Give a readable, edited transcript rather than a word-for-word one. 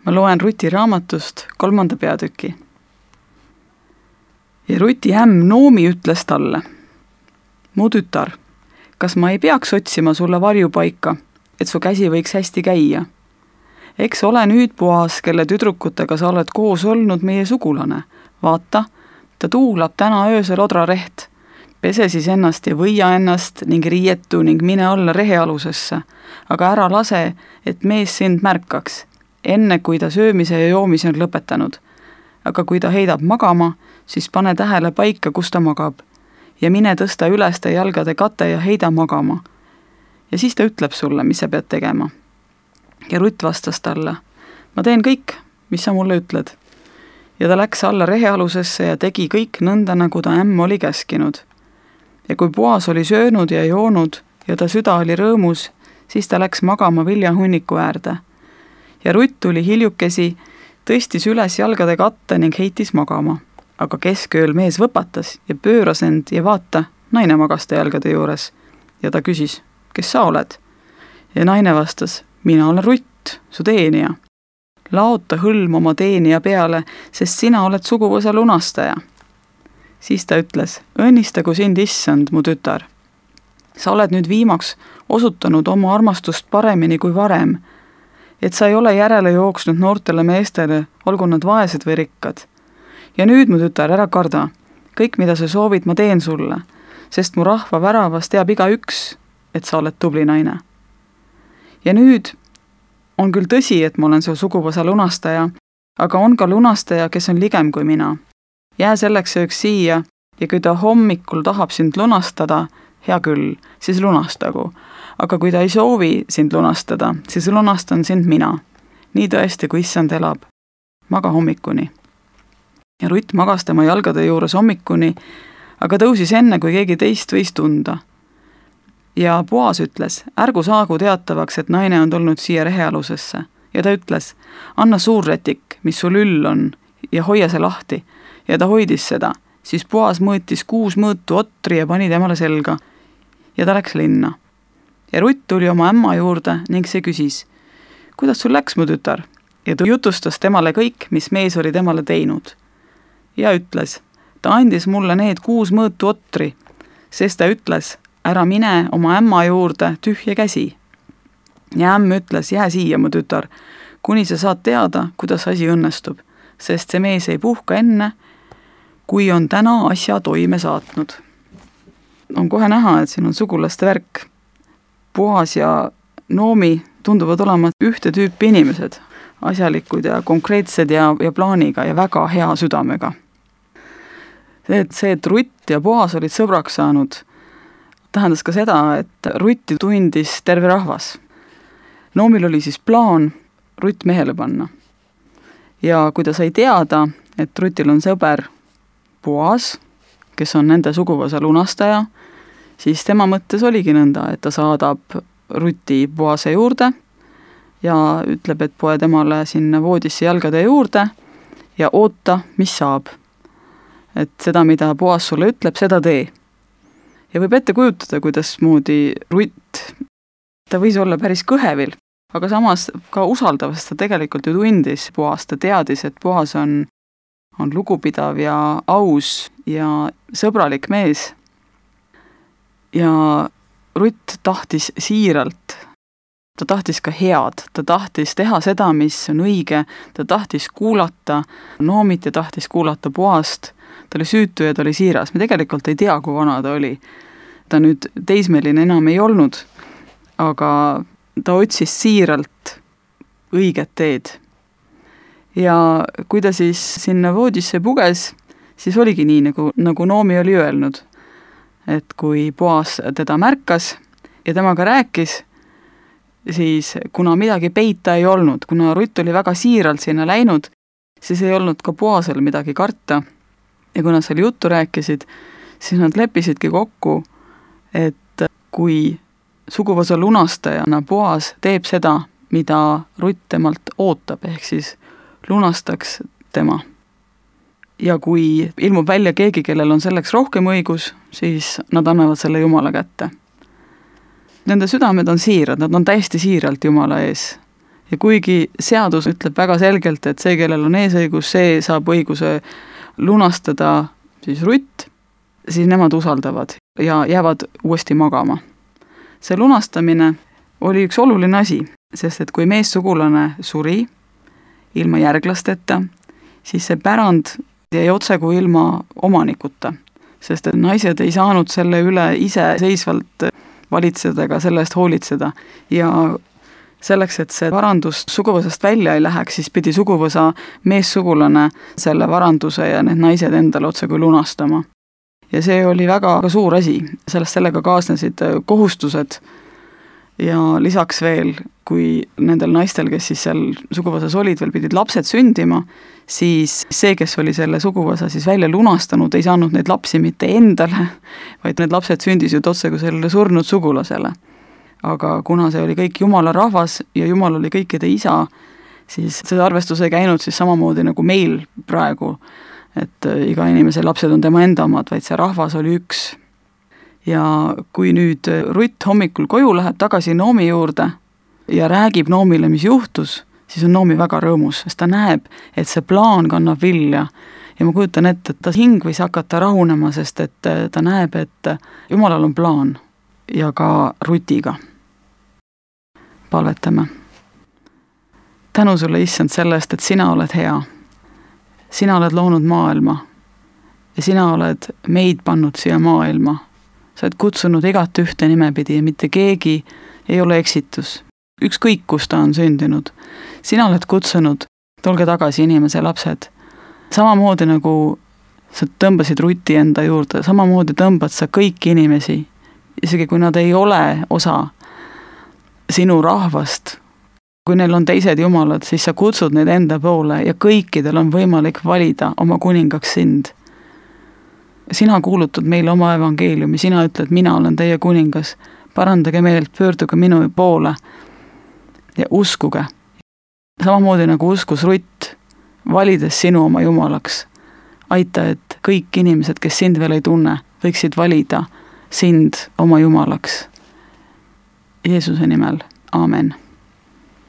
Ma loen Ruti raamatust 3. peatüki. Ja Ruti ämm Noomi ütles talle: mu tütar, kas ma ei peaks otsima sulle varjupaika, et su käsi võiks hästi käia? Eks ole nüüd Boas, kelle tüdrukutega sa oled koos olnud, meie sugulane. Vaata, ta tuulab täna öösel odrareht. Pese siis ennast ja võia ennast ning riietu ning mine alla rehealusesse, aga ära lase, et mees sind märkaks, enne kui ta söömise ja joomise on lõpetanud. Aga kui ta heidab magama, siis pane tähele paika, kus ta magab, ja mine tõsta üles ta jalgade kate ja heida magama. Ja siis ta ütleb sulle, mis sa pead tegema. Ja Rutt vastas talle: ma teen kõik, mis sa mulle ütled. Ja ta läks alla rehealusesse ja tegi kõik nõnda, nagu ta ämm oli käskinud. Ja kui Boas oli söönud ja joonud ja ta süda oli rõõmus, siis ta läks magama viljahunniku äärde. Ja Rutt tuli hiljukesi, tõstis üles jalgade katte ning heitis magama. Aga keskööl mees võpatas ja pööras end ja vaata, naine magas ta jalgade juures. Ja ta küsis: kes sa oled? Ja naine vastas: mina olen Rutt, su teenija. Laota hõlm oma teenija peale, sest sina oled suguvõsa lunastaja. Siis ta ütles: õnnistagu sind issand, mu tütar. Sa oled nüüd viimaks osutanud oma armastust paremini kui varem, et sa ei ole järele jooksnud noortele meestele, olgu nad vaesed või rikkad. Ja nüüd, mu tütar, ära karda. Kõik, mida sa soovid, ma teen sulle, sest mu rahva väravas teab igaüks, et sa oled tubli naine. Ja nüüd on küll tõsi, et ma olen su suguvõsa lunastaja, aga on ka lunastaja, kes on ligem kui mina. Jää selleks ööks siia ja kui ta hommikul tahab sind lunastada, hea küll, siis lunastagu. Aga kui ta ei soovi sind lunastada, siis lunastan sind mina. Nii tõesti, kui issand elab. Maga hommikuni. Ja Rutt magas tema jalgade juures hommikuni, aga tõusis enne, kui keegi teist võis tunda. Ja Boas ütles: ärgu saagu teatavaks, et naine on tulnud siia rehealusesse. Ja ta ütles: anna suurrätik, mis sul üll on, ja hoia see lahti. Ja ta hoidis seda. Siis Boas mõõtis 6 mõõtu otri ja pani temale selga. Ja ta läks linna. Ja Rutt tuli oma ämma juurde ning see küsis: kuidas sul läks, mu tütar? Ja ta jutustas temale kõik, mis mees oli temale teinud. Ja ütles: ta andis mulle need 6 mõõtu otri, sest ta ütles: ära mine oma ämma juurde tühja käsi. Ja ämm ütles: jää siia, mu tütar, kuni sa saad teada, kuidas asi õnnestub, sest see mees ei puhka enne, kui on täna asja toime saatnud. On kohe näha, et siin on sugulaste värk. Boas ja Noomi tunduvad olema ühte tüüpi inimesed, asjalikud ja konkreetsed ja plaaniga ja väga hea südamega. See, et Rutt ja Boas olid sõbraks saanud, tähendas ka seda, et Rutti tundis terve rahvas. Noomil oli siis plaan Rutt mehele panna. Ja kui ta sai teada, et Rutil on sõber Boas, kes on nende suguvõsa lunastaja, siis tema mõttes oligi nõnda, et ta saadab Ruti Boase juurde ja ütleb, et poe temale sinna voodisse jalgade juurde ja oota, mis saab. Et seda, mida Boas sulle ütleb, seda tee. Ja võib ette kujutada, kuidas moodi Rutt, ta võis olla päris kõhevil, aga samas ka usaldavast ta tegelikult ju tundis Boas, ta teadis, et Boas on lugupidav ja aus ja sõbralik mees. Ja Rutt tahtis siiralt, ta tahtis ka head, ta tahtis teha seda, mis on õige, ta tahtis kuulata Noomit ja tahtis kuulata Boast, ta oli süütu ja ta oli siiras, me tegelikult ei tea, kui vana ta oli. Ta nüüd teismeline enam ei olnud, aga ta otsis siiralt õiget teed. Ja kui ta siis sinna voodisse puges, siis oligi nii, nagu Noomi oli öelnud, et kui Boas teda märkas ja temaga rääkis, siis kuna midagi peita ei olnud, kuna Rutt oli väga siiralt sinna läinud, siis ei olnud ka Boasel midagi karta. Ja kui nad seal juttu rääkisid, siis nad leppisidki kokku, et kui suguvõsa lunastajana Boas teeb seda, mida Rutt temalt ootab, ehk siis lunastaks tema. Ja kui ilmub välja keegi, kellel on selleks rohkem õigus, siis nad annavad selle Jumala kätte. Nende südamed on siirad, nad on täiesti siiralt Jumala ees. Ja kuigi seadus ütleb väga selgelt, et see, kellel on eesõigus, see saab õiguse lunastada siis Rutt, siis nemad usaldavad ja jäävad uuesti magama. See lunastamine oli üks oluline asi, sest et kui meessugulane suri ilma järglasteta, siis see pärand jäi otsekui ilma omanikuta, sest et naised ei saanud selle üle iseseisvalt valitseda ega selle eest hoolitseda ja selleks, et see varandus suguvõsast välja ei läheks, siis pidi suguvõsa meessugulane selle varanduse ja need naised endale otsekui lunastama. Ja see oli väga suur asi, sellega kaasnesid kohustused ja lisaks veel, kui nendel naistel, kes siis seal suguvõsas olid, veel pidid lapsed sündima, siis see, kes oli selle suguvõsa siis välja lunastanud, ei saanud neid lapsi mitte endale, vaid need lapsed sündisid otsekui sellele surnud sugulasele. Aga kuna see oli kõik Jumala rahvas ja Jumal oli kõikide isa, siis see arvestus ei käinud siis samamoodi nagu meil praegu, et iga inimese lapsed on tema enda omad, vaid see rahvas oli üks. Ja kui nüüd Rutt hommikul koju läheb tagasi Noomi juurde ja räägib Noomile, mis juhtus, siis on Noomi väga rõõmus, sest ta näeb, et see plaan kannab vilja. Ja ma kujutan ette, et ta hing võis hakata rahunema, sest et ta näeb, et Jumalal on plaan ja ka Rutiga. Palvetame. Tänu sulle, Issand, sellest, et sina oled hea. Sina oled loonud maailma ja sina oled meid pannud siia maailma. Sa oled kutsunud igat ühte nimepidi ja mitte keegi ei ole eksitus. Ükskõik, kus ta on sündinud. Sina oled kutsunud, tulge tagasi inimese lapsed. Samamoodi nagu sa tõmbasid Ruti enda juurde, samamoodi tõmbad sa kõiki inimesi, isegi kui nad ei ole osa sinu rahvast. Kui neil on teised jumalad, siis sa kutsud neid enda poole ja kõikidel on võimalik valida oma kuningaks sind. Sina kuulutad meile oma evangeeliumi, sina ütled, mina olen teie kuningas, parandage meelt, pöörduge minu poole ja uskuge. Samamoodi nagu uskus Rutt, valides sinu oma jumalaks. Aita, et kõik inimesed, kes sind veel ei tunne, võiksid valida sind oma jumalaks. Jeesuse nimel, aamen.